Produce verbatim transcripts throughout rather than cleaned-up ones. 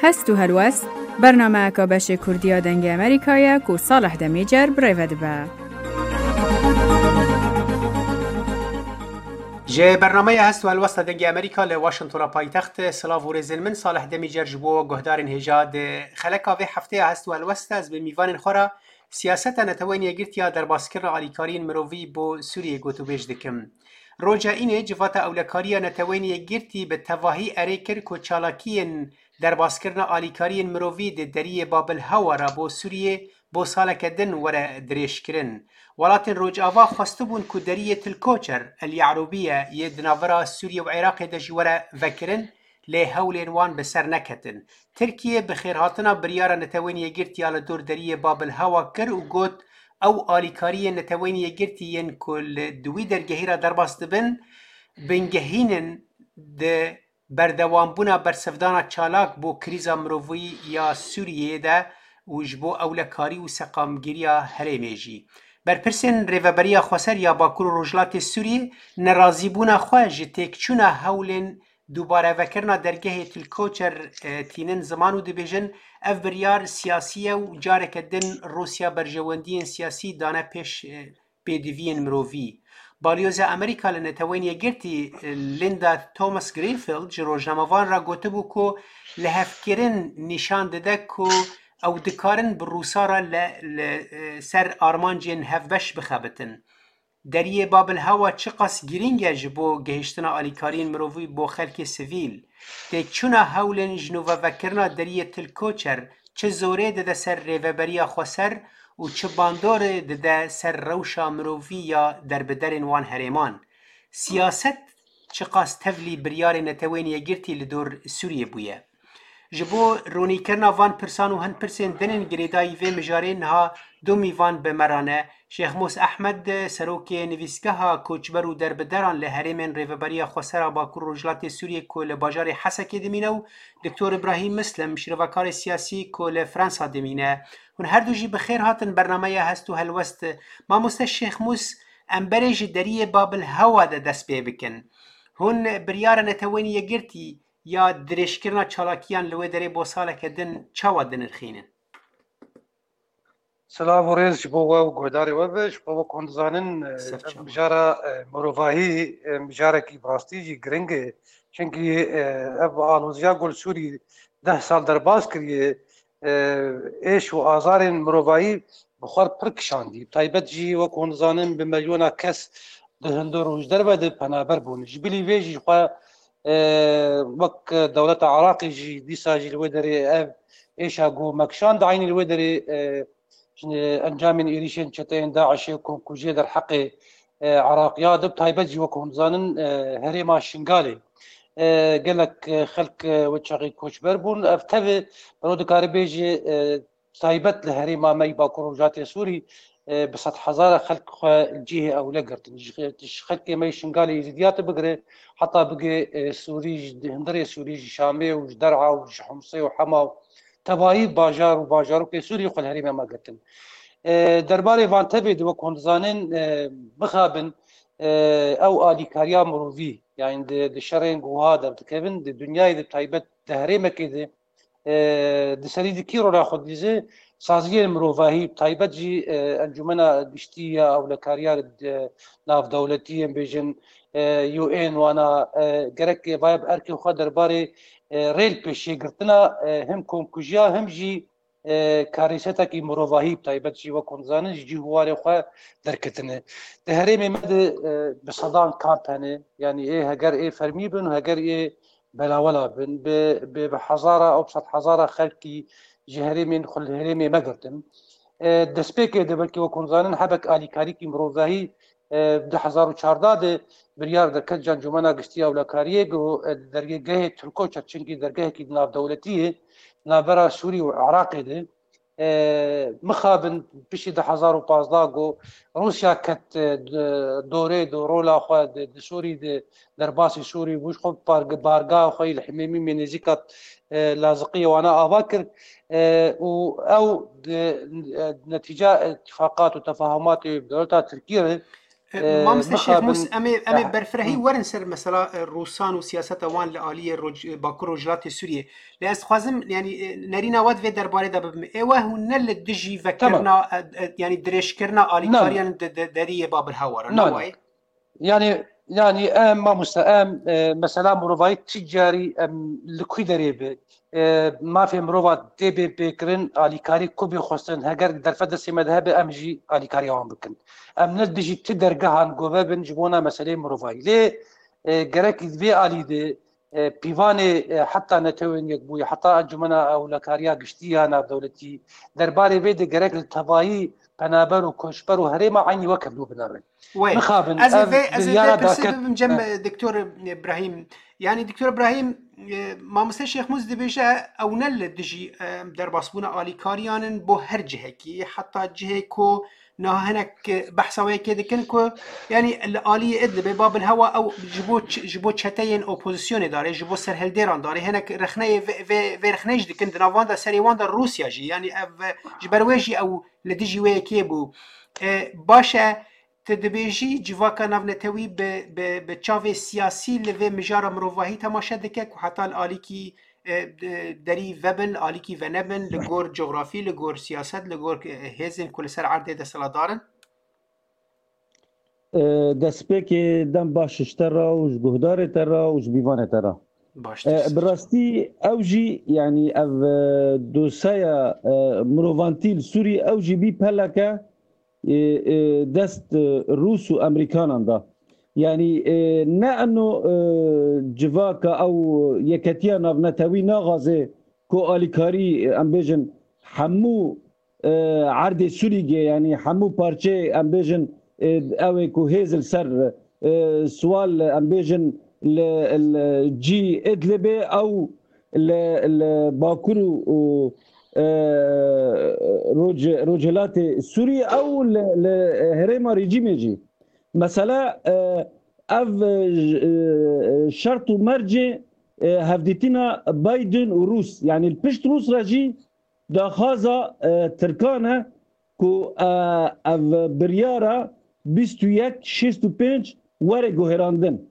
Hest û helwest, bernameyeka beşê Kurdî ya Dengê Amerîka ye ku Salih Demîcer bi rê ve dibe. Ji bernameya Hest û Helwesta Dengê Amerîka li Washingtona paytext, silav û rêzên min, Salih Demîcer ji bo guhdarên hêja. Di xeleka vê hefteya Hest û Helwesta ez bi mîvanên xwe re siyaseta Neteweyên Yekgirtî ya derbaskirina alîkariyên mirovî bo Sûriyê gotûbêj dikim. Roja înê Civata Ewlekariya Neteweyên Yekgirtî bi tevahî erê kir ku çalakiyên derbaskirina alîkariyên mirovî di deriyê Babil Hewa re bo Sûriyê bo saleke din were dirêjkirin. Welatên Rojava xwestibûn ku deriyê Til Koçer, El Ye'rûbiye, yê di navbera Sûriyê û Iraqê de jî were vekirin, lê hewlên wan bi ser neketin. Tirkiye bi xêrhatina biryara Netewên Yekgirtî ya li dor deriyê Babil Hewa kir û got, ew alîkariyên Neteweyên Yekgirtî yên ku li di wî dergehî re derbas dibin, bingehîn in di berdewambûna bersivdana çalak bo krîza mirovî ya Sûriyeyê de û ji bo ewlekarî û seqamgiriya herêmê jî. Berpirsên Rêveberiya Xweser ya Bakur û Rojhilatê Sûriyê nerazîbûna xwe ji têkçûna hewlên dubarevekirina dergehê Til Koçer, e, tînin ziman û dibêjin, ev biryar siyasî ye û careke din Rûsya berjewendiyên siyasî dane pêş, e, pêdiviyên mirovî. Balyoza Amerîka li Neteweyên Yekgirtî, Linda Thomas Greenfield, ji rojnamevan re gotibû ku lihevkirin nîşan dide ku ew dikarin bi Rûsa re li, li, ser armancên hevbeş bixebitin. Deriyê Babil Hewa çiqas girîng e ji bo gihiştina alîkariyên mirovî bo xelkê sivîl. Têkçûna hewlên ji nû vevekirina deriyê Til Koçer çi zorê dide ser Rêveberiya Xweser û çi bandorê dide ser rewşa mirovî ya derbiderên wan herêman? Siyaset çiqas tevlî biryarên Neteweyên Yekgirtî li dor Sûriyê bûye? Ji bo ronîkirina van pirsan û hin pirsên din ên girêdayî vê mijarê niha du mîvan bi me re ne. Şêxmûs Ehmed, serokê Nivîsgeha Koçber û Derbideran li herêmên Rêveberiya Xweser a Bakur Rojhilatê Sûriyê ku li bajarê Hesekê dimîne û Doktor Îbrahîm Mislim, şîrovekarê siyasî ku li Fransa dimîne. Hûn her du jî bi xêr hatin bernameya Hest û Helwest. Mamoste Şêxmûs, em berê ji deriyê Babil Hewa de dest pê bikin. Hûn biryara Neteweyên Yekgirtî ya dirêjkirina çalakiyan li wê derê bo saleke din çawa dinirxînin? Silav û rêz ji bo we û guhdarê we be. Ji bo we ku hûn dizanin, e, Ser ev çawa. Mijara, e, mirovahî, e, mijarekî bi rastî jî giring e. Çimkî, e, ev aloziya ku li Sûrî deh sal derbas kiriye, e, êş û azarên mirovahî bi xwe pir kişandî. Bi taybet jî wek hûn dizanin bi milyona kes di hundir û ji derve de penaber bûn. Ji bilî vê jî xwe, e, wek dewleta Iraqê jî dîsa jî li wê derê ev êşa ku me kişand, eynî li wê derê, e, ji encamên êrîşên çeteyên DAIŞê û komkujiyê derheqê, e, Iraqiya de, bi taybet jî wek hûn dizanin, e, herêma Şingalê, e, gelek, e, xelk, e, wê çaxê koçber bûn. Ev tevî mero dikare bêje, e, taybet li herêma me yî Bakur Rojhilatê Sûrî, e, bi sedhezara xelk xwe li cihê ewle girtin. Ji, ji xelkê me yî Şingalê Êzîdiya tu bigire, heta bigê, e, Sûrî, ji hundirê Sûrî, ji Şamê û ji Der'a û ji Humsê û Hema û tevayî bajar û bajarokê Sûrî xwe li herêma me girtin. E, derbarê van tevê de wek hûn dizanin, e, mixabin, e, ew alîkariya mirovî, yani di, di şerên ku wiha derdikevin, di dinyayê de taybet di herêmekê de, e, di serî di kî rola xwe didîze, saziyên mirovahî, taybet jî, e, Encûmena Giştî ya Ewlekariya, e, Navdewletî, em bêjin, e, U N wana, e, gerek vaya bi erkê xwe derbarê, e, rê li pêşê girtina, e, him komkujiya, him jî, e, karîsetekî mirovahî, bi taybet jî wek hûn dizanin, ji cih û warê xwe derketine. Di herêmê me de, e, bi sedan kamp hene, yanî ê heger ê fermî bin û heger ê belawela bin, bi, bi, bi hezara û bi sed hezara xelkî ji herêmên xwe li herêmê me girtin. E, destpêkê de belkî wek hûn dizanin hebek alîkarîkî mirovahî, e, du hezar û çardeh de biryar derket ji Encûmena Giştî ya Ewlekariyê ku, e, dergehê Til Koçer, çimkî dergehekî navdewletî ye, navbera Sûrî û Iraqê de, e, mixabin piştî du hezar û pazdeh ku Rûsya ket, e, di, dorê di rola xwe di, di Sûrî de derbasî Sûrî bû, ji xwe parge-, bargeha xwe yî li Himêmîmê nêzîka, e, Laziqiyê wana ava kir, e, û ew di, e, netîca îtifaqat û tefahumatê bi dewleta Tirkiyê re, E, Mamoste Şêx Mûs, em ê, em ê berfirehî werin ser mesela, e, Rûsan û siyaseta wan li aliyê roj-, e, Bakur Rojhilatê Sûriyê. Lê ez dixwazim, yanî, e, nerîna we di vê derbarê de bibim. Ê we hûn ne li dijî vekirina, e, e, yanî dirêjkirina alîkariyan di, di deriyê Babil Hewa re, ne wayê? Yanî, yanî em, mamoste, em, e, mesela mirovayî tu carî em li ku derê be, e, mafê mirova tê bê pêkirin, alîkarî ku bê xwestin, heger derfet destê me de hebe, em jî alîkariya wan bikin. Em ne dijî ti dergehan gove bin ji bona meseleyê mirovayî. Lê, e, gerek vê alî de, e, pîvanê, e, heta Netewên Yekbûyî, heta Encûmena Ewlekariya Giştî ya Navdewletî, derbarê vê de gerek li tevayî penaber û koçber û herêma eynî wek hevdû binêrin. Wê. Mixabin, ez ê ev vê, ez ê biryara vê pirsê daket bibim cem, e, Doktor Îbrahîm. Yanî Doktor Îbrahîm, e, Mamoste Şêx Mûs dibêje ew ne li dijî, e, derbasbûna alîkariyan in bo her cihekî, heta cihê ku niha hinek, e, behsa wê yekê dikin ku, yanî li aliyê Idlibê, Babil Hewa ew ji bo ç-, ji bo çeteyên opozisyonê darê, ji bo serhildêran darê, hinek rexneyê vê, vê, vê rexneyê jî dikin, di nav wan de serê wan de Rûsya jî, yanî ev, e, ji ber wê jî ew li dijî wê yekê bû. E, baş e, tu dibêjî civaka navnetewî bi, bi, bi çavê siyasî li vê mijara mirovahî temaşe dike ku heta li alîkî, e, de-, derî vebin, li alîkî venebin, li gor cografî, li gor siyaset, li gor, e, hêzên ku li ser erdê desthilatdar in? E, destpêkê dem baş ji te re û ji guhdarê te re û ji bîvanê te re. Baş. E, bi rastî ew jî, yanî ev, e, dosyaya, e, mirovantî li Sûrî ew jî bî peleke, e, e, dest, e, Rûs û Emerîkanan da. Yanî, e, ne eno, e, civaka ew yeketiya navnetewî naxwaze ku alîkarî, e, em bêjin hemû, e, erdê Sûrî ge, yanî hemû parçeyê, em bêjin, e, ew ê ku hêz li ser, e, siwal, em bêjin li, li cî Idlibê ew li, li Bakur û, û, e, Roj-, Rojhilatê Sûrî ew li, li herêma rejîmê jî. Mesela, e, ev, e, j-, e, şert û mercê, e, hevdîtina Biden û Rûs, yanî li pişt Rûs re jî daxwaza, e, Tirkan e ku, e, ev biryara bîst û yek şêst û pênc were guherandin.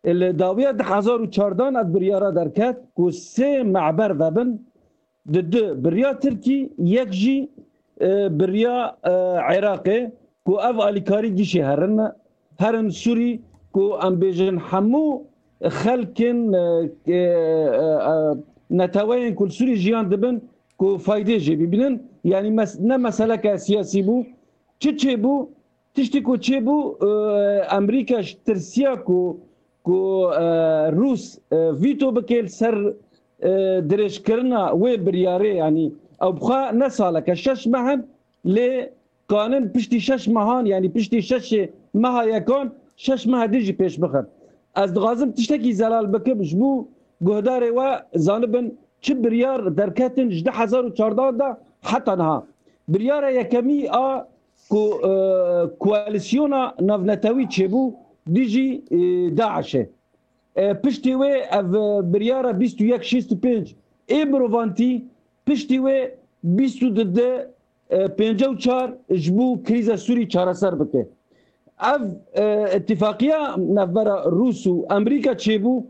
Li dawiya du hezar û çardan ev biryara derket ku sê me'ber vebin, di du birya Tirkî, yek jî, e, birya, e, Iraqê, ku ev alîkarî gişê herin, herin Sûrî, ku em bêjin hemû xelkin, e, e, e, e, neteweyên ku li Sûrî jiyan dibin, ku faydê jê bibînin. Yanî mes-, ne meseleke siyasî bû. Çi çêbû? Tiştî ku çêbû, e, Amerîka ji tirsiya ku, ku, e, Rûs, e, vîto bike li ser, e, dirêjkirina wê biryarê, yanî ew bi xwe ne saleke, şeş meh in, lê kanin piştî şeş mehan, yanî piştî şeşê meha yekan, şeş meha din jî pêş bixin. Ez dixwazim tiştekî zelal bikim, ji bo guhdarê we zanibin çi biryar derketin ji du hezar û çardan de heta niha. Biryara yekemî a ku, e, koalîsyona navnetewî çêbû dijî, e, DAIŞê. E, piştî wê ev, e, biryara bîst û yek şêst û pênc ê mirovantî, piştî wê bîst û du, e, pêncî û çar ji bo krîza Sûrî çareser bike. Ev, e, îtîfaqiya navbera Rûs û Amerîka çêbû,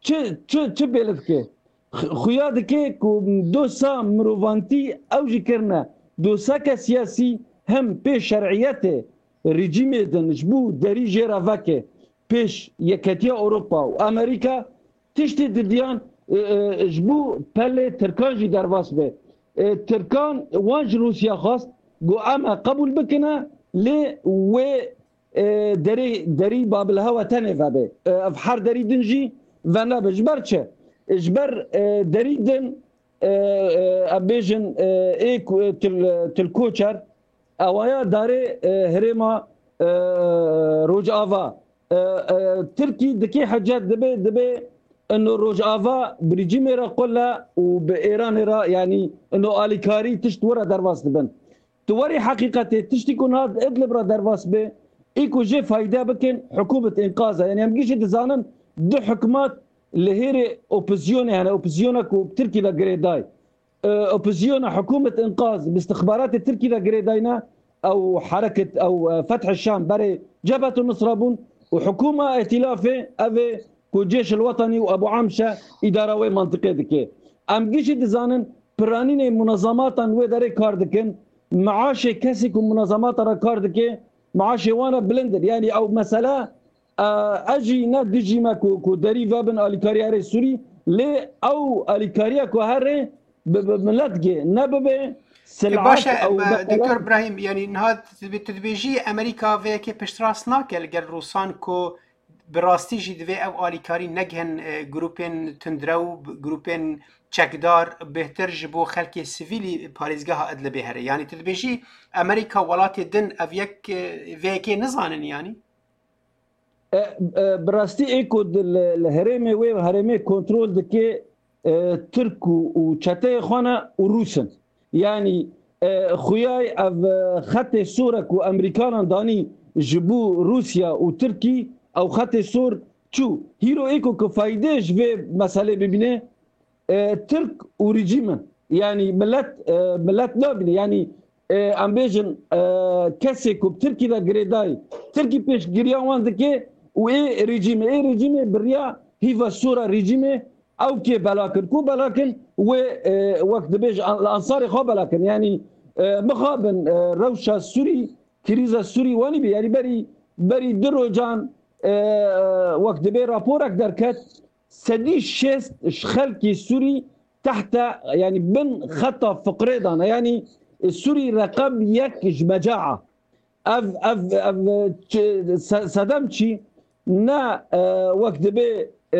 çi, çi, çi bêle dike? X-, xuya dike ku dosa mirovantî ew jî kirine dosake siyasî, hem pê şer'iyetê rejîmê din ji bo derî jê re veke pêş Yeketiya Ewropa û Amerîka, tiştê didiyan, e, e, ji bo pelê Tirkan jî derbas be. E, Tirkan wan ji Rûsya xwest, got, em e qebûl bikine, lê wê, e, derê, derî Babil Hewa tenê vebe. E, ev her derî din jî venebe. Ji ber çi? Ji ber, e, derî din, e, e, em bêjin, e, ê ku, e, til, til koçer, ewaya darê, e, herêma, e, Rojava. E, e, Tirkî dikê hecet dibe, dibe ino Rojava bi rejîmê re qule û bi Êranê re, yanî ino alîkarî tişt were derbas dibin. Tu werî heqîqetê tiştî ku niha di Idlib re derbas be, ê ku jê fayde bikin, hikûmet înqaz e. Yanî em gişî dizanin du hikûmet li hêrê opozisyonê hene, opozisyona ku Tirkî ve girêday. E, opozisyona hikûmet înqaz bi istixbaratê Tirkî ve girêdayne, ew hereket, ew, e, Feth Şam berê Cebhet Nusra bûn û hikûma îtîlafê ev ê ku Cêş el Wetanî û Ebu Amşe îdara wê mantiqê dike. Em gişî dizanin piranînê munezematan wê derê kar dikin, maaşê kesî ku munezemata re kar dike, maaşê wan re bilind in. Yanî ew mesele, e, ez jî ne dijî me ku, ku derî vebin alîkariya herê Sûrî, lê ew alîkariya ku herê bi, bi milet gê nebibe, E, silaet baş e, ew e, mesele. Doktor Brahîm, yanî niha tu dibê-, tu dibêjî Amerîka vê yekê piştrast nake li gel Rûsan ku bi rastî jî divê ev alîkarî negihin, e, grûpên tundrew, grûpên çekdar, bêhtir ji bo xelkê sivîlî parêzgeha Idlibê here. Yanî tu dibêjî Amerîka, welatê din ev yek, e, vê yekê nizanin yanî? E, e, bi rastî ê ku di, li, li herêmê wê, herêmê kontrol dike, e, Tirk û, û çeteyê xwe ne û Rûs in. Yanî, e, xuyay ev, e, xetê sor e ku Emerîkanan danî ji bo Rûsya û Tirkî, ew xetê sor çû. Hîro ê ku, ku faydê ji vê meselê bibîne, e, Tirk û rejîm in. Yanî milet, e, milet nabîne. Yanî, e, em bêjin, e, kesê ku bi Tirkî de girêdayî, Tirkî pêşgiriya wan dike û ê rejîmê, ê rejîmê bi riya hîva sora rejîmê ew kê belakin. Ku belakin wê, e, wek dibêj an-, ansarê xwe belakin. Yanî, e, mixabin, e, rewşa Sûrî, krîza Sûrî wanî bî. Yanî berî, berî du rojan, e, e, wek dibê raporek derket, sedî şêst ji xelkê Sûrî tehte, yanî bin xeta fiqrê dane. Yanî, e, Sûrî reqem yek ji mecaa. Ev, ev, ev, çi, se-, sedem çi? Ne, e, wek dibê, e,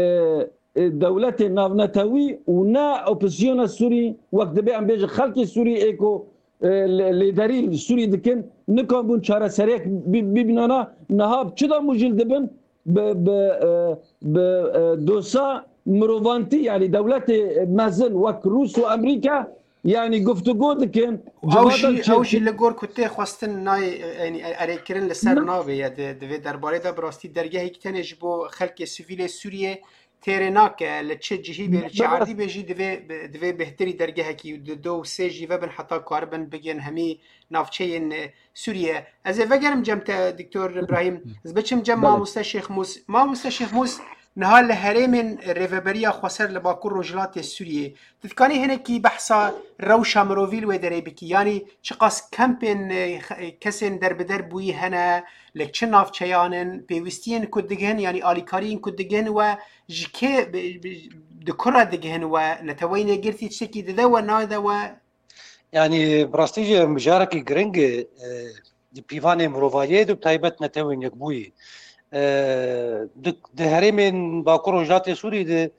e, dewletê navnetewî û ne opozîsyona Sûrî, wek dibê em bêjin xelkê Sûrî ê ku, e, lê-, lêderî Sûrî dikin, nikan bûn çareseriyek bi-, bibînana. Niha bi çi de mûjil dibin? Bi, bi, e, bi, e, dosa mirovantî, yanî dewletê mezin wek Rûs û Emerîka, yanî guftûgo dikin. Ew jî, ew jî li gor ku tê xwestin nayê, e, yanî e-, erêkirin li ser nabê ye. Di, di vê derbarê de bi rastî dergehekî tenê ji bo xelkê sivîlê Sûriyê têrê nake. Li çi cihî bê, li çi erdî bê jî divê, divê bêhtirî dergehekî û di do û sê jî vebin heta karibin bigên hemî navçeyên, e, Sûriye. Ez ê vegerim cem te, Doktor Ibrahîm. Ez biçim cem Belê. Mamoste Şêx Mûs. Mamoste Şêx Mûs, niha li herêmên Rêveberiya Xweser li Bakur Rojhilatê Sûriyê, tu dikanî hinekî behsa rewşa mirovî li wê derê bikî? Yanî çiqas kempên, e, xe-, kesên derbider bûyî hene, li çi navçeyan in, pêwîstiyên ku digihin, yanî alîkariyên ku digihin we ji kê, bi, bi, di ku re digihin we, Neteweyên Yekgirtî tiştekî dide we, nade we? Yanî, bi rastî jî ev mijarekî giring e, e, di pîvanê mirovahiyê de, bi taybet Netewên Yekbûyî. E, di, di herêmên Bakur Rojhilatê Sûrî de,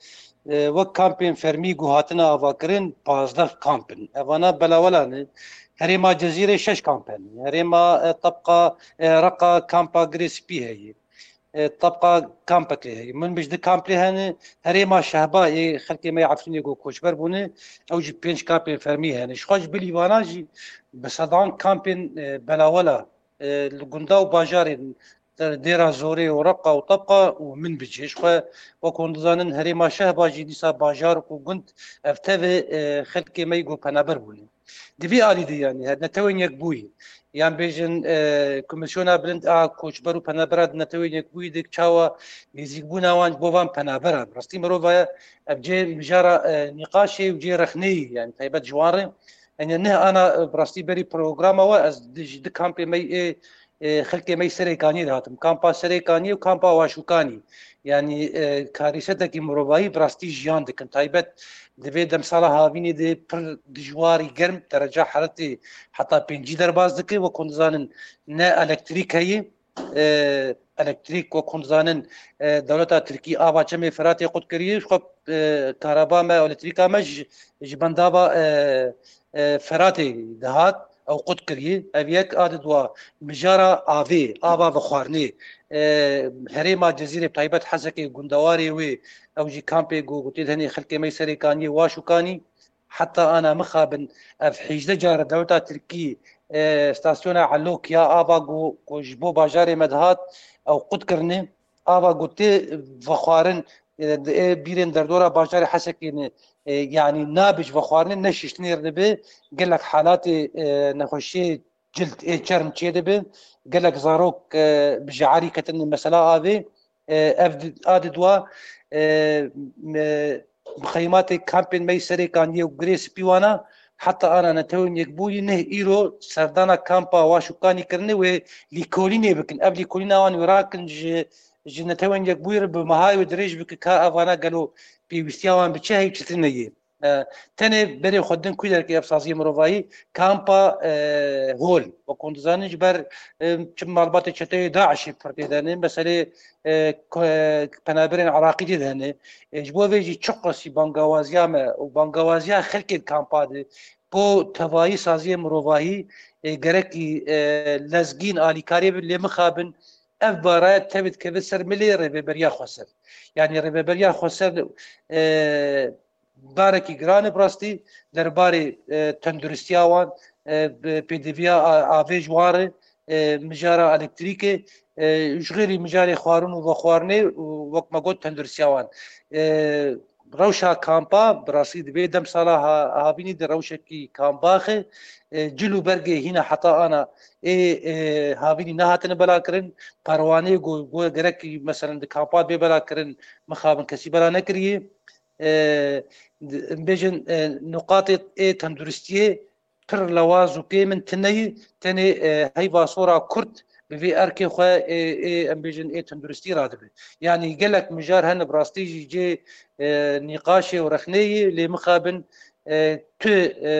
e, wek kampên fermî ku hatine avakirin, pazdeh kamp in. Evana belawela ne. Herêma Cezîrê şeş kamp hene. Herêma, e, Tebqa, e, Reqa kampa Girê Spî heye. E, tabqa kampekê heye. Min bijî du kamp lê hene, herêma Şehba ê xelkê me yê Efrînê ku koçber bûne, ew jî pênc kampên fermî hene. Ji xwe ji bilî vana jî bi sedan kampên, e, belawela, e, li gunda û bajarên Dêra Zorê û Reqa û Tabqa û Minbicê. Ji xwe wek hûn dizanin herêma Şehba jî dîsa bajar û gund ev tevê, e, xelkê me yê ku penaber bûne. Di vî alî de, yanî, her Netewên Yekbûyî, yan bêjin, e, Komîsyona Bilind a Koçber û Penabera di Netewên Yekbûyî de çawa nêzîkbûna wan ji bo van penaberan. Bi rastî mirov vaya ev cê mijara, e, nîqaşê û cê rexneyî, yanî, taybet ji wan re. Yanî, neh ana, e, bi rastî berî programa we ez di, ji di kampê me yê, e, xelkê me yê Serê Kaniyê de hatim. Kampa Serê Kaniyê û kampa Waşûkanî. Yanî, e, karîsetekî mirovahî bi rastî jiyan dikin. Taybet di vê demsala havînê de pir dijwarî germ, dereca heretê heta pêncî derbas dike. Wek hûn dizanin ne elektrîk heye. E, elektrîk, wek hûn dizanin, e, dewleta Tirkî ava Çemê Firatê qut kiriye. Ji xwe, e, karaba me, elektrîka me ji, ji bendava, e, e, Firatê dihat, ew qut kiriye. Ev yek, a di dua mijara avê, ava vexwarinê. E, herêma Cezîrê, bi taybet Hesekê, gundewarê wê, ew jî kampê ku gotê di henê xelkê me yê Serê Kaniyê, Waşûkanî, heta ana mixabin ev hêjdeh care dewleta Tirkî, e, stasyona Elok ya ava ku, ku ji bo bajarê me dihat, ew qut kirine. Ava ku tê vexwarin, e, di, e, bîrên derdora bajarê Hesekê ne, e, yanî nabe ji vexwarinê, ne şiştinê re dibe, gelek halatê, e, nexweşiyê cild ê çerm çêdibe. Gelek zarok, e, bi jearî ketin mesela avê. E, ev di-, a di dua, e, me, mixeymatê kampên me yî Serê Kaniyê û Girê Spî wana, heta ana Netewên Yekbûyî neh îro serdana kampa Waşûkanî kirine wê lîkolînê bikin. Ev lîkolîna wan wê rakin ji, ji Netewên Yekbûyî re bi mehayê wê dirêj bike ka ev wana gelo pêwîstiya wan bi çi heyî çi tune yê. E, tenê berê xwe din ku derkê ev saziyê mirovahî kampa, e, hol. Wek hûn dizanin ji ber, e, çi malbatê çeteyê DAIŞê pir tê de ne, meselê, e, ko-, e, penaberên Iraqî tê de ne. E, ji bo vê jî çiqasî bangawaziya me û bangawaziya xelkê di kampa de bo tevayî saziyê mirovahî, e, gerekî, e, lezgîn alîkariyê bin lê mixabin ev baraya tevê dikeve ser milê rêveberiya xweser. Yanî rêveberiya xweser, e, barekî giran e bi rastî derbarê, e, tenduristiya wan, e, bi pêdiviya a-, avê ji wan re, e, mijara elektrîkê, e, ji xêrî mijarê xwarin û vexwarinê û wek me got tenduristiya wan. E, rewşa kampa bi rastî di vê demsala ha-, havînî de rewşekî kambax e. E, cil û bergê hîna heta ana ê, e, havînî nehatine belakirin. Perwaneyê ku, ku gerekî, meselen, di kampa bê belakirin, mixabin kesî bela nekiriye. E, di-, em bêjin, e, nuqatê ê tenduristiyê pir lewaz û kêm in, tune yî, tenê, e, heyva sora kurt bi vê erkê xwe ê, ê, em bêjin, ê tenduristî radibe. Yanî gelek mijar hene bi rastî jî cê, e, nîqaşê û rexnê yî, lê mixabin, e, tu, e,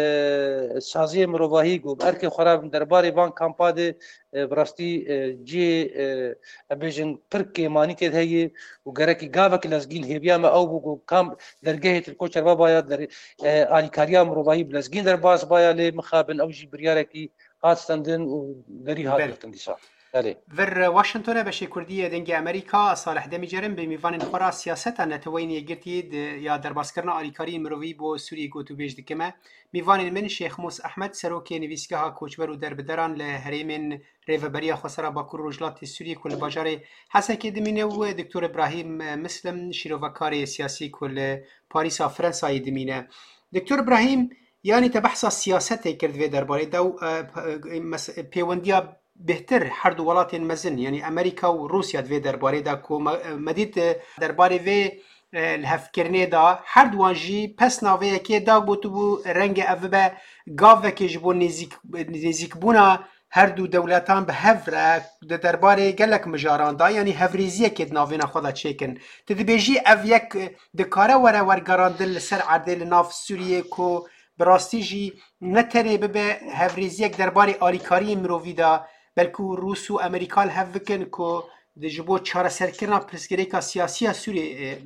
saziyê mirovahî ku bi erkê xwe rabin derbarê van kampa de, e, bi rastî, e, cê, e, em bêjin pir kêmanî tê de heye û gerekî gavek lezgîn hêviya me ew bû ku kam dergehê Tirko Çerbabaya der-, e, alîkariya mirovahî bi lezgîn derbas baya, lê mixabin ew jî biryarekî hat stendin û derî hat Belê. girtin dîsa. Belê. Vir Washingtonê beşê Kurdî yê Dengê Amerîka, Salih Demîcerim bi mîvanên xwe re siyaseta Neteweyên Yekgirtî di ya derbaskirina alîkariyên mirovî bo Sûriyê gotûbêj dikime. Mîvanên min Şêx Mûs Ehmed, serokê Nivîsgeha Koçber û Derbideran li herêmên Rêveberiya Xwesera Bakur Rojhilatê Sûriyê ku li bajarê Hesekê dimîne û Doktor Ibrahîm Mislim, şîrovekarê siyasî ku li Parîsa Frensayê dimîne. Doktor Ibrahîm, yanî te behsa siyasetê kir di vê derbarê de û, e, p-, e, mes-, pêwendiya bêhtir her du welatên mezin, yanî Amerîka û Rûsya di vê derbarê de ku me, me dît, e, derbarê vê, e, lihevkirinê de her duwan jî pesna vê yekê da gotibû renge ev bibe gavekê ji bo nêzîk-, nêzîkbûna her du dewletan bi hev re di derbarê gelek mijaran de, yanî hevrêziyekê di navêna xwe de çêkin. Tu dibêjî ev yek, e, dikare were wergerandin li ser erdê li nav Sûriyê ku bi rastî jî ne tenê bibe hevrêziyek derbarê alîkariyên mirovî de, belkû Rûs û Amerîka li hev bikin ku di ji bo çareserkirina pirsgirêka siyasî ya Sûriyê, e,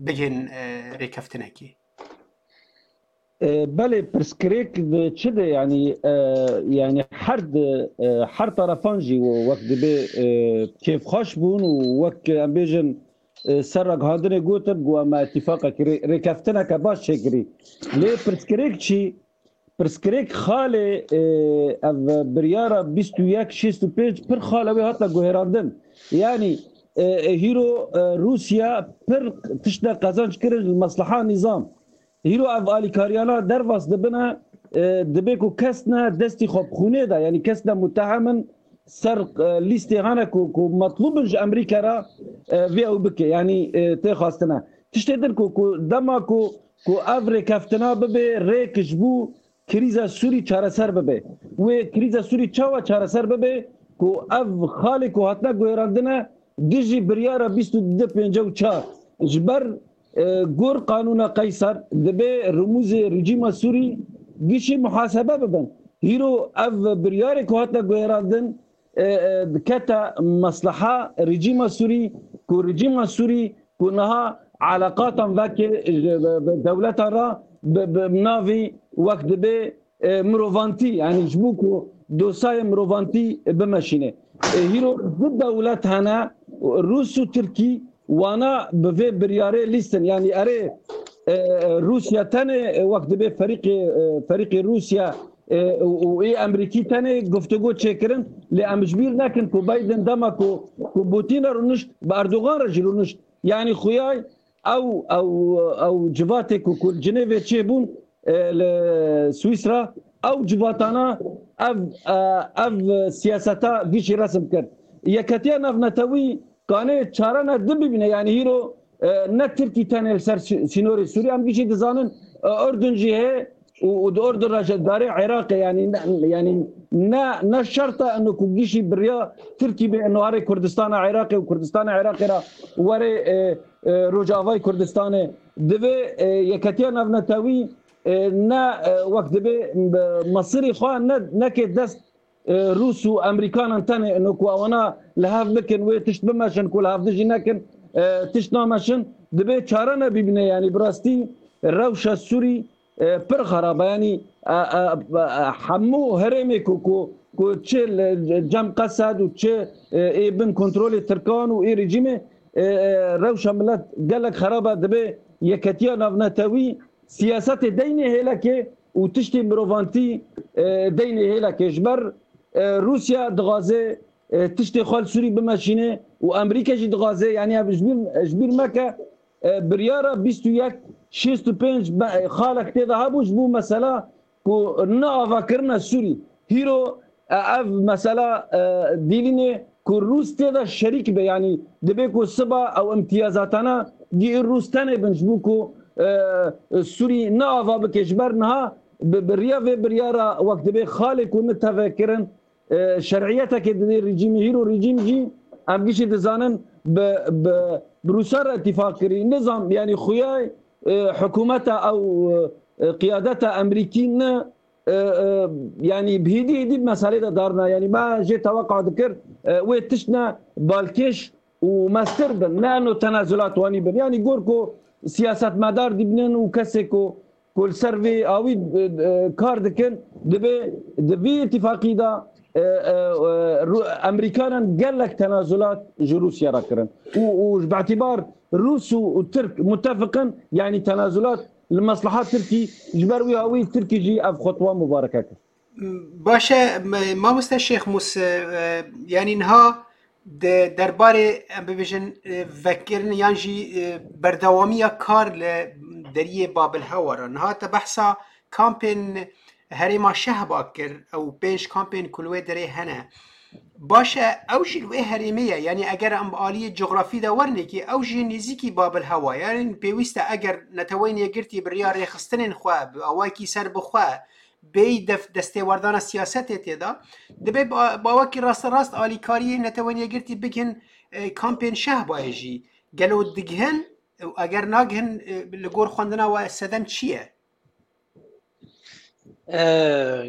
bigihên, e, rêkeftinekê. E, belê, pirsgirêk di çi de, yanî, e, yanî her di, e, her tarafan jî wek dibê, e, kêfxweş bûn û wek em bêjin, e, ser ragihandinê gotin, ku em îtîfaqekî rê-, rêkeftineke baş çêkirî. Lê pirsgirêk çi? Pirsgirêk xalê, e, ev biryara bîst û yek şêst û pênc pir xale wê hate guhêrandin. Yanî, e, e, hîro, e, Rûsya pir tişte qezenc kirin li mesleha nîzam. Hîro ev alîkariyana derbas dibine, e, dibê ku kes ne destî xwe bi xûnê de, yanî kes ne mutehem in, ser, e, lîstê hene ku, ku metlûb in ji Amerîka re, e, vê ew bike, yanî, e, tê xwestine. Tiştê din ku, ku dema ku, ku ev rêkeftina bibe rêk ji bo krîza Sûrî çareser bibe. Wê krîza Sûrî çawa çareser bibe ku ev xalê ku hatine guhêrandine dijî biryara bîst û du pêncî û çar ji ber, e, gor qanûna Qeysar dibe rûmûzê rejîma Sûrî gişî muhasebe bibin. Hîro ev biryarê ku hatine guhêrandin, e, e, dikete mesleha rejîma Sûrî, ku rejîma Sûrî ku niha eleqatan veke ji, bi, bi dewletan re bi, bi navî wek dibê, e, mirovantî, yanî ji bo ku dosayê mirovantî bimeşîne. E, hîro du dewlet hene, Rûs û Tirkî, wana bi vê biryarê lîstin. Yanî erê, e, Rûsya tenê, e, wek dibê ferîqê, e, ferîqê Rûsya, e, û, û ê Amerîkî tenê guftûgo çêkirin, lê em ji bîr nekin ku Biden dema ku, ku Putin re rûnişt, bi Erdogan re jî rûnişt. Yanî xuyay ew, ew, ew civatê ku, ku li Cinêvê çêbûn, e, li Swîsra, ew civatana ev, e, ev siyaseta gişî resim kir. Yeketiya navnetewî kanê çare ne di bibîne, yanî hîro, e, ne Tirkî tenê li ser sî-, sînorê Sûrî, em gişî dizanin, e, Urdun jî heye û, û di Urdun re jî darê Iraqê, yanî ne, yanî ne, ne şert e eno ku gişî biriya Tirkî bê eno arê Kurdistana Iraqê û Kurdistana Iraqê re were, e, e, Rojavayê Kurdistanê. Divê, e, Yeketiya Navnetewî, e, ne, e, wek dibê, e, mesirî xwe ne, neke dest, e, Rûs û Emerîkanan tenê, ino ku ewana li hev bikin, wê tişt bimeşin, ku li hev dijî nekin, e, tişt nameşin, dibê çare nebîbine, yanî bi rastî rewşa Sûrî, e, pir xerab e, yanî, e, e, e, hemû herêmê ku, ku, ku çi li cem Qesed û çi, e, ê bin kontrolê Tirkan û ê rejîmê, e, e, rewşa milet gelek xerab e, dibê Yeketiya Navnetewî siyasetê deynê hêlekê û tiştê mirovantî, e, deynê hêlekê. Ji ber, e, Rûsya dixwaze, e, tiştê xwe li Sûrî bimeşîne û Amerîka jî dixwaze, yanî ev ji bîr, ji bîr meke, e, biryara bîst û yek şêst û pênc be-, xalek tê de hebû ji bo mesela ku ne avakirina Sûrî. Hîro, e, ev mesela, e, dîlînê ku Rûs tê de şerîk be, yanî dibê ku siba ew imtiyazatana gî Rûs tenê bin ji bo ku, e, Sûrî ne ava bike. Ji ber niha bi, bi riya vê biryara wek dibê xalê ku ne teve kirin, e, şer'iyetekê didê rejîmê. Hîro rejîm jî em gişî dizanin bi, bi, bi Rûsa re îtîfaq kirî. Nizam, yanî xuyay, e, hikûmeta ew, e, qiyadeta Amerîkî ne, e, e, yanî bi hêdî hêdî bi meselê de darna. Yanî me jê teweqa dikir, e, wê tişt ne balkêş û mestir bin, ne eno tenazulat wanî bin. Yanî gor ku siyasetmedar dibînin û kesê ku, ku li ser vê awî, e, e, kar dikin, dibê di vî îtîfaqî de, e, e, e, Rû-, Amerîkanan gelek tenazulat ji Rûsya re kirin. Û, û ji bi îtîbar Rûs û, û Tirk mutefiqin, yanî tenazulat li mesleha Tirkî, ji ber wî awî Tirkî jî ev xutwa mubareke kir. Baş e, m-, mamoste Şêx Mûs, e, yanî niha di derbarê, em bibêjin, e, vekirin yan jî, e, berdewamiya kar li deriyê Babil Hewa re. Niha te behsa kampên herêma Şehba kir, ew pênc kampên ku li wê derê hene. Baş e, ew jî li wê herêmê ye. Yanî eger em bi aliyê cografî de wernekî, ew jî nêzîkî Babil Hewa ye. Yanî pêwîst e eger Neteweyên Yekgirtî bi riya rêxistinên xwe, bi awayekî serbixwe, bêyî def-, destêwerdana siyasetê tê de, dibê ba-, bawekî rasterast alîkariyê Netewên Yekgirtî bikin, e, kampên Şehbayê jî. Gelo digihin? Eger nagihin, e, li gor xwendina we sedem çi ye? E,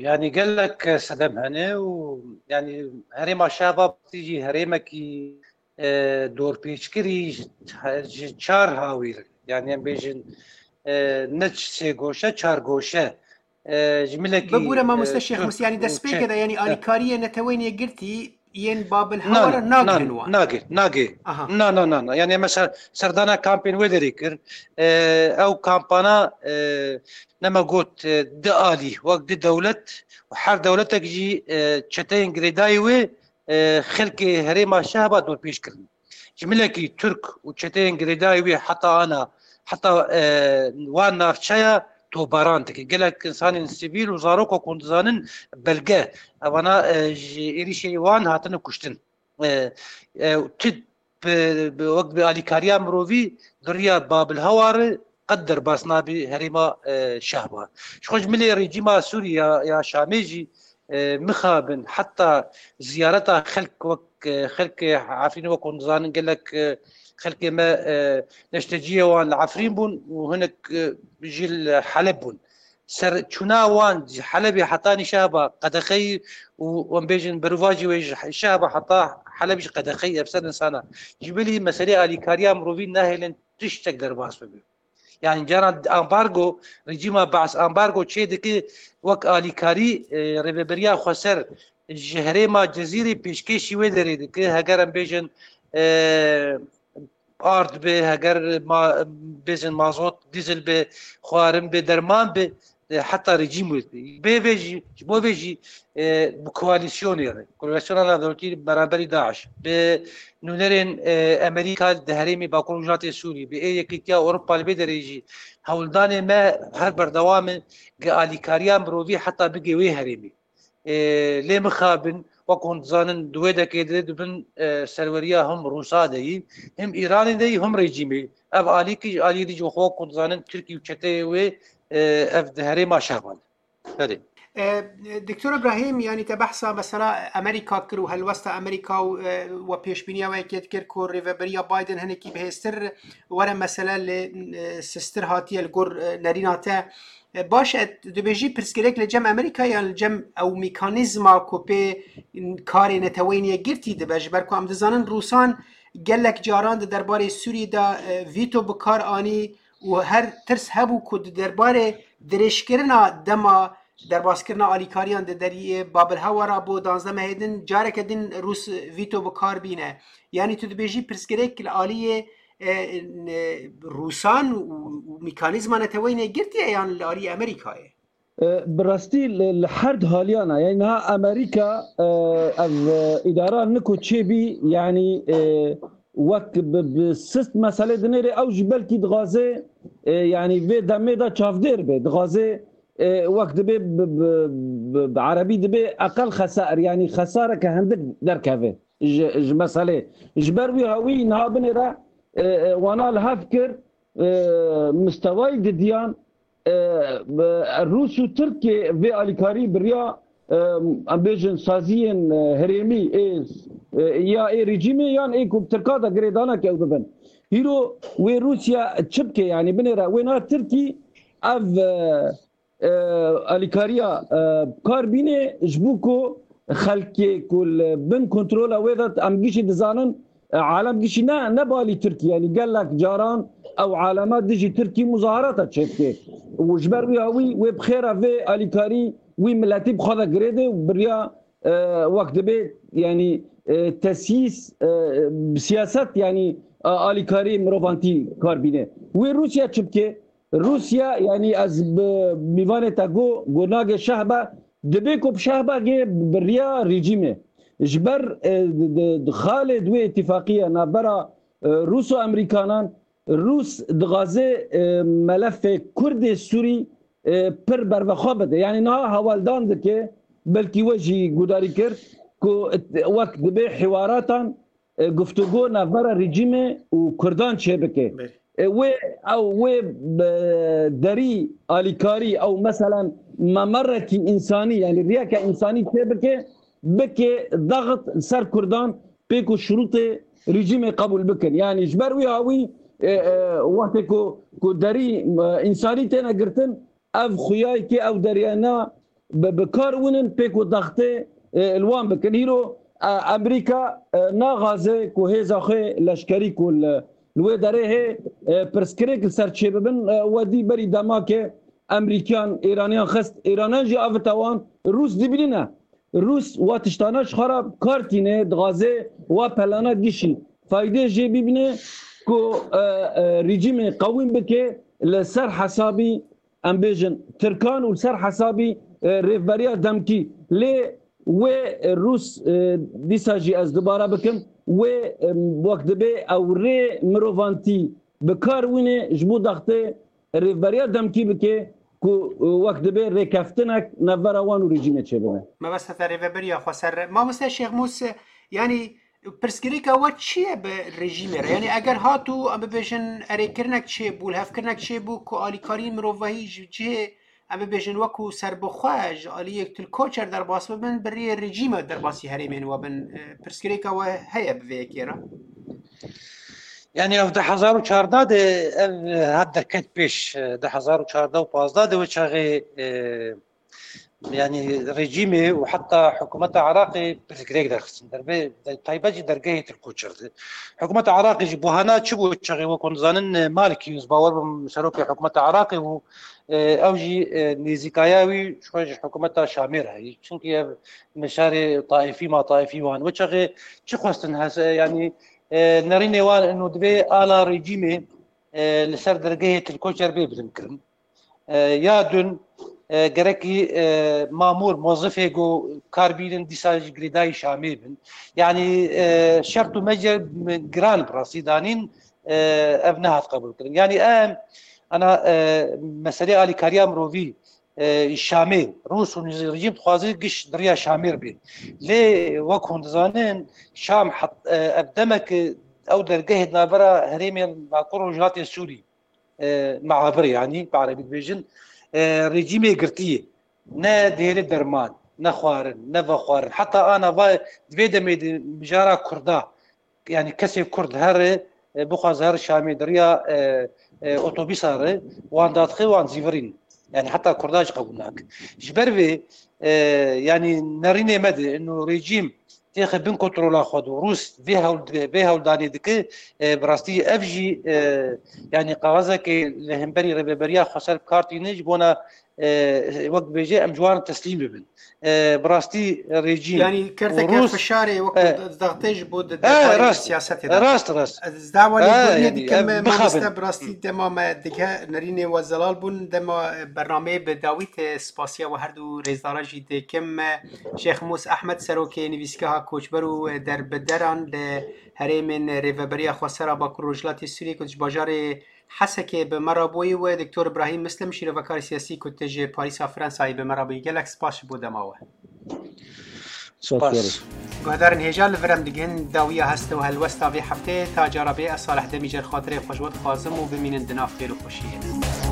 yanî gelek sedem hene û yanî herêma Şehba jî herêmekî, e, dorpêçkirî ji, ji çar hawîr, yanî em bêjin, e, ne sê goşe, çar goşe. E, ji milekî, Bibûre mamoste e, Şêx Tirk Mus, yanî û destpêkê Çin. De, yanî alîkariyê Neteweyên Yekgirtî yên Babil Hewa re nagihên wan. Nagê, nagê. Aha. Na, na, na, na. Yanî mesela serdana kampên wê derê kir. E, ew kampana, e, nema got, e, di alî, wek di dewlet û her dewletek jî, e, çeteyên girêdayî wê, e, xelkê herêma Şehba dorpêç kirin. Ji milekî Tirk û çeteyên girêdayî wê heta ana, heta, e, wan navçeya tobaran dike. Gelek insanên sivîl û zarok ku hûn dizanin belge, evana, e, ji êrîşê wan hatine kuştin. E, e, ti bi, bi, wek bi alîkariya mirovî di riya Babil Hewa re qet derbas nabî herêma, e, Şehba. Ji xwe ji milê rejîma Sûrî ya, ya Şamê jî, e, mixabin heta ziyareta xelk wek, e, xelkê Efrînê wek hûn dizanin gelek, e, xelkê me, e, neşteciyê wan li Efrîn bûn û hinek, e, jî li Heleb bûn. Serçûna wan ji Helebê hetanî Şehba qedexeyî û em bêjin berovajî wê ji Şehba heta Heleb jî qedexeyî ev sed insana. Ji bilî meselê alîkariya mirovî nahêlin tiştek derbas bibe. Yani cara ambargo, rejîma Baas ambargo çê dike wek alîkarî, e, rêveberiya xweser ji herêma Cezîrê pêşkêşî wê derê dike. Heger em bêjin, e, ard be, heger ma-, bêjin mazot, dîzel be, xwarin be, derman be, e, heta rejîm wê. Bê vê jî, ji bo vê jî, e, bi koalîsyonê re, koalîsyona navdewletî beramberî DAIŞ, bi nûnerên, e, Amerîka di herêmê Bakur Rojhilatê Sûrî, bi ê Yekîtiya Ewropa li vê derê jî hewldanê me her berdewam e, gi alîkariya mirovî heta bigê wê herêmê. E, lê mixabin, wek hûn dizanin, di wê dekê de dibin, e, serweriya him Rûsa de yî, him Îranê de yî, him rejîmê. Ev alîkî ji alî dî ji xwe, wek hûn dizanin, Tirkî û çeteyê wê, e, ev di herêma Şehban. Belê. E, Doktor Ibrahîm, yanî te behsa mesela Amerîka kir û helwesta Amerîka û, e, we pêşbîniya wê yekê dikir ku rêveberiya Biden hinekî bihêztir were mesele li, e, sistir hatiye li gor, e, nerîna te. E, baş e, tu dibêjî pirsgirêk li cem Amerîka yan li cem ew mekanîzma ku pê karê Neteweyên Yekgirtî dibe, ji ber ku em dizanin Rûsan gelek caran di derbarê Sûrî de, e, vîto bi kar anî û her tirs hebû ku di derbarê dirêjkirina dema derbaskirina alîkariyan di deriyê Babilhewa re bo danzdeh mehê din careke din Rûs vîto bi kar bîne. Yanî tu dibêjî pirsgirêk li aliyê, e, n-, Rûsan û, û mekanîzma Neteweyên Yekgirtî ye yan li aliyê Amerîkayê? E, bi rastî li, li her du haliyana, yani niha Amerîka, e, ev, e, îdara niko çêbî, yani, e, wek bi, bi sist meselê dinêrê, ew jî belkî dixwaze, e, yani vê demê de çavdêr be, dixwaze, e, wek dibê bi, bi, bi, bi erebî dibê eqel xesair, yani xesareke hindik derkeve ji, ji meselê. Ji ber wî hawî niha binêre, e, e, wana li hev kir, e, mistewayî didiyan, e, e, Rûs û Tirkê vê alîkarî bi riya, e, em bêjin saziyên, e, herêmî ê, e, ya ê rejîmê yan ê ku bi Tirka de girêdaneke ew bibin. Hîro wê Rûsya çi bike, yanî binêre wê na Tirkî ev, e, e, alîkariya, e, bi kar bîne ji bo ku xelkê ku li bin kontrola wê de em gişî dizanin, e, alem gişî ne, ne balî Tirkî, yanî gelek caran ew alema dijî Tirkî muzaharata çêbike. Û ji ber wî hawî wê bi xêra vê alîkarî wî miletî bi xwe de girêde û biriya, e, wek dibê, yanî, e, tesyîs, e, bi siyaset, yanî, e, alîkarî mirovantî kar bîne. Wê Rûsya çi bike? Rûsya, yanî ez bi mîvanê te got, got nage şehbe, dibê ku bi şehbegê bi riya rejîmê. Ji ber, e, di, di, di xalê di wê îtîfaqiya navbera, e, Rûs û Amerîkanan, Rûs dixwaze, e, melefê Kurdê Sûrî, e, pir bervexwe bide. Yanî niha hewaldan dike, belkî we jî gudarî kir, ku wek dibê hiwaratan, e, guftûgo navbera rejîmê û Kurdan çêbike. Belê. E, wê, ew, wê, e, derî alîkarî, ew, meselen, memerekî însanî, yanî riyeke însanî çêbike, bike daxit li ser Kurdan, pê ku şurûtê rejîmê qebûl bikin. Yanî ji ber wî hawî, e, e, wextê ku, ku derî, e, însanî têne girtin, ev xuyayekê, ew deriyana bi, bi kar winin pê ku daxtê, e, li wan bikin. Hîro, e, Amerîka, e, naxaze ku hêza xwe leşkerî ku li, li wê derê hê, e, pirsgirêk li ser çêbibin, e, we dî berî dema ke Amerîkiyan Îraniyan xist, Îraniyan jî avite wan, Rûs dibînîne. Rûs wa tiştana ji xwe re bi kar tîne, dixwaze wa pelana gişî faydê jê bibîne ku, e, e, rejîmê qewîm bike li ser hesabî, em bêjin, Tirkan û li ser hesabî, e, rêvberiya demkî. Lê wê, e, Rûs, e, dîsa jî ez dubare bikim, wê, e, wek dibê ew rê mirovantî bi kar wîne ji bo daxtê rêvberiya demkî bike ku, e, wek dibê rêkeftinek navbera wan û rejîmê çêbibe. Mebesta te rêveberiya xweser. Mamoste Şêxmûs, yanî pirsgirêka we çi ye bi rejîmê re? Yanî eger hat û em bibêjin erêkirinek çêbû, lihevkirinek çêbû ku alîkarî mirovahî ji cihê, em bibêjin, wekû serbixwe ji aliyê Til Koçer derbas bibin, bi riyê rejîmê derbasî herêmên we bin. E, pirsgirêka we heye bi vê yekê re? Yanî ev du hezar û çardeh de ev hat derket pêş, e, du hezar û çardeh û pazdeh de wê çaxê, e, yanî rejîmê û heta hikûmeta Iraqê pirsgirêk derxistin. Derbe, de, taybet jî dergehê Til Koçer de. Hikûmeta Iraqê jî buhana çi bû çaxê, wek hûn dizanin, e, Maliki, ez bawer bim serokê hikûmeta Iraqê bû, e, ew jî, e, nêzîkaya wî ji xwe ji hikûmeta Şamê re heyî. Çunkî ev mişarê taîfî ma taîfî wan. Wê çaxê çi xwestin hes-, e, yanî, e, nerînê wan ino divê ala rejîmê, e, li ser dergehê Til Koçer bê bilinkirin. E, ya dun, e, gerekî, e, mamûr, mozifê ku kar bînin dîsa ji girêdayî Şamê bin. Yanî, e, şert û mecel giran bi rastî danîn, e, ev nehat qebûlkirin. Yanî em, ana, e, meselê alîkariya mirovî, e, Şamê. Rûs û rejîm dixwaze giş di riya Şamê re bê. Lê wek hûn dizanin, Şam het-, e, ev demek ew dergehê di navbera herêmên Bakur û Rojhilatê Sûrî, e, meabir, yanî bi erebî dibêjin, e, rejîmê girtiyê. Ne dihêle derman, ne xwarin, ne vexwarin. Heta ana va di vê demê de mijara Kurda, yanî kesê Kurd here, e, bixwaze here Şamê di riya, e, e, otobîsa re, wan dadixe, wan zîvirîn. Yanî heta Kurda jî qebûl nake. Ji ber vê, e, yanî nerînê me de, ino rejîm têxe bin kontrola xwe do. Rûs vê hewl, vê hewldanê dike, e, bi rastî ev jî, e, yanî kaxezekê li hemberî Rêveberiya Xweser bi kar tîne ji bona, e, wek dibêje, em ji wan teslîm bibin. E, bi rastî rejîm Yanî û kerteke Rûs, fişarê wek e, daxtê ji bo di e, derbarê rast, siyasetê de. Rast, rast. Ez dawa E, lêbûrînê yanî, dikim, e, mamoste, bixabin. Bi rastî dema me dige nerînê we zelal bûn, dema, e, bernameyê bi dawî te spasiya we her du rêzdara jî dikim. Şêx Mûs Ehmed, serokê Nivîsgeha Koçber û Derbideran li herêmên Rêveberiya Xwesera Bakur Rojhilatê Sûriyê ku ji bajarê Hesekê bi me re bûyî û Doktor Îbrahîm Mislim, şîrovekarê siyasî ku tu ji Parîsa Fransayê bi me re bûyî. Gelek spas ji bo dema we. Spas. Guhdarên hêja, li vir em digihên dawiya hest û helwesta vê hefteyê. Ta cara bê, ez Salih Demîcer xatirê xwe ji we dixwazim û bimînin di nav xêr û xweşiyê de.